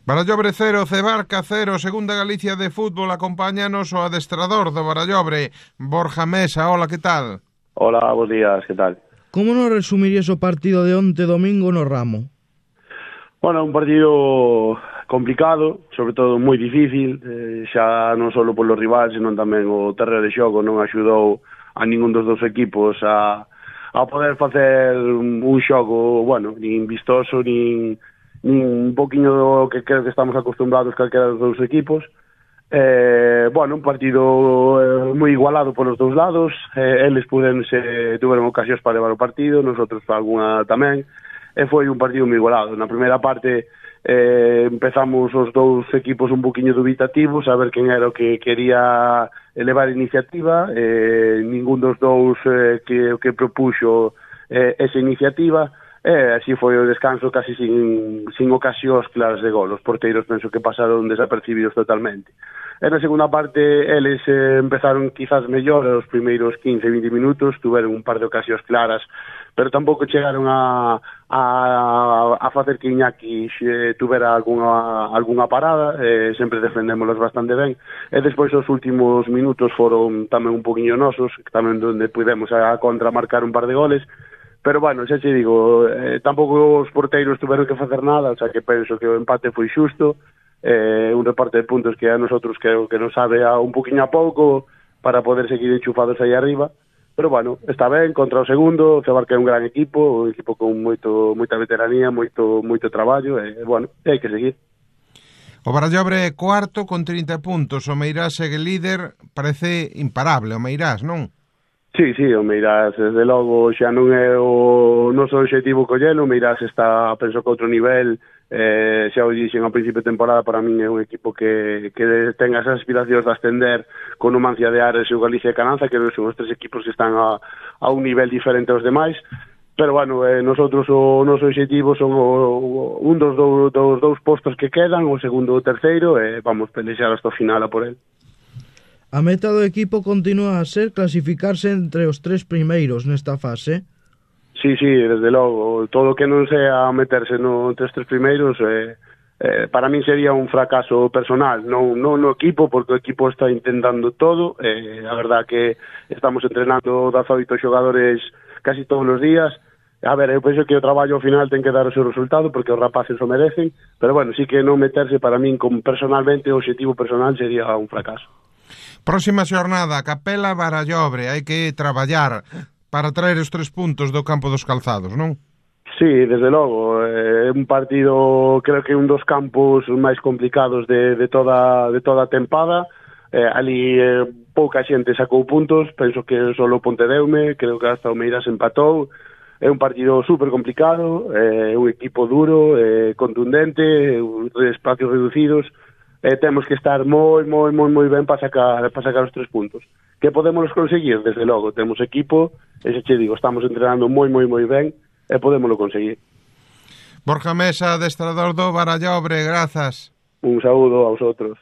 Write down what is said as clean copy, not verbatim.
Barallobre 0, Cebarca 0, Segunda Galicia de fútbol. Acompáñanos o adestrador do Barallobre, Borja Mesa. Hola, que tal? Hola, bons días, que tal? Como nos resumirías o partido de onte domingo no Ramo? Bueno, un partido complicado, sobre todo moi difícil, xa non só polo rival, senón tamén o terreo de xogo non axudou a ningún dos dous equipos a poder facer un xogo, bueno, nin vistoso, nin un poquinho do que creo que estamos acostumbrados calquera dos dous equipos. Bueno, un partido moi igualado polos dous lados, eles tuveron ocasións para levar o partido, nosotros algunha tamén, e foi un partido moi igualado. Na primeira parte empezamos os dous equipos un poquinho dubitativos, a ver quen era o que quería elevar a iniciativa, ningún dos dous que propuxo esa iniciativa, así foi o descanso casi sin ocasións claras de gol. Os porteiros penso que pasaron desapercibidos totalmente. E na segunda parte eles empezaron quizás mellor os primeiros 15-20 minutos, tuveron un par de ocasións claras, pero tampouco chegaron a facer que Iñaki tuvera algunha parada, sempre defendémolos bastante ben, e despois os últimos minutos foron tamén un poquinho nosos, tamén onde pudemos a contra marcar un par de goles, pero bueno, xa che digo, tampouco os porteiros tuveron que facer nada, o sea que penso que o empate foi xusto, un reparte de puntos que a nosotros creo que nos sabe a un poquinho a pouco para poder seguir enchufados aí arriba, pero bueno, está ben contra o segundo. O Cebarca é un gran equipo, un equipo con moita veteranía, moito traballo, e bueno, hai que seguir. O Barallobre é cuarto con 30 puntos, o Meirás segue líder, parece imparable o Meirás, non? Sí, o Meirás, desde logo, xa non é o noso objetivo collelo. O Meirás está, penso que outro nivel, xa o dixen ao principio de temporada, para min é un equipo que ten as aspiracións de ascender con Numancia de Ares e o Galicia de Cananza, que son os tres equipos que están a un nivel diferente aos demais, pero bueno, nosotros o noso objetivo son un dos dous postos que quedan, o segundo ou o terceiro, e vamos pelexar hasta o final a por el. A meta do equipo continúa a ser clasificarse entre os tres primeiros nesta fase? Sí, desde logo. Todo o que non sea meterse entre os tres primeiros, para min sería un fracaso personal, non no equipo, porque o equipo está intentando todo. A verdad que estamos entrenando 18 xogadores casi todos os días. A ver, eu penso que o traballo ao final ten que dar o seu resultado, porque os rapaces o merecen, pero bueno, sí que non meterse para min personalmente, o objetivo personal sería un fracaso. Próxima xornada, Capela Barallobre, hai que traballar para traer os 3 puntos do campo dos Calzados, non? Sí, desde logo, é un partido, creo que un dos campos máis complicados de toda a tempada. Ali pouca xente sacou puntos, penso que só o Pontedeume, creo que hasta o Meirás empatou. É un partido super complicado, un equipo duro, contundente, espacios reducidos. Temos que estar moi ben para sacar os 3 puntos. Que podemos conseguir? Desde logo, temos equipo, e xa che digo, estamos entrenando moi ben, e podémoslo conseguir. Borja Mesa, adestrador do Barallobre, grazas. Un saúdo a vosotros.